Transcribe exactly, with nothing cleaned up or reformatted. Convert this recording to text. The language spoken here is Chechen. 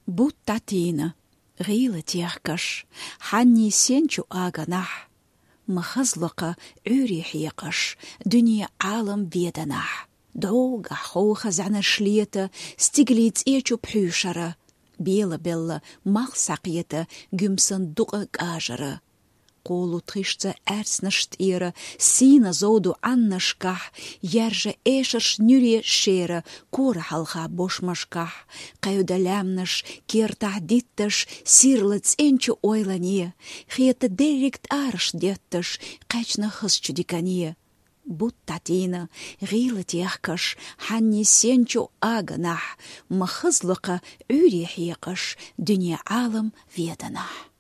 Бутт дӀатийна, гӀийла техкаш, хьанний сен чу аганахь, ма хазлокха Ӏуьйре хьекъаш, дуьне Ӏалам веданахь. ДӀогахь ховха зӀаьнаш лета, стигалийн цӀе чу пхьуьйшара, белабелла малх схьакхета гуьмсан дукъа кӀажара. Кхолу тхишца аьрцнаш тӀера, сийна зовду Ӏаннашкахь, яьржа эшарш нуьре шера, кора хьалха бошмашкахь, кхевда лаьмнаш кертахь дитташ, сирла цӀен чу ойлане, хета дерриг тӀараш детташ, кхаьчна хазачу дикане. Бутт дӀатийна, гӀийла техкаш, хьанний сен чу аганахь, ма хазлокха Ӏуьйре хьекъаш, дуьне Ӏалам веданахь.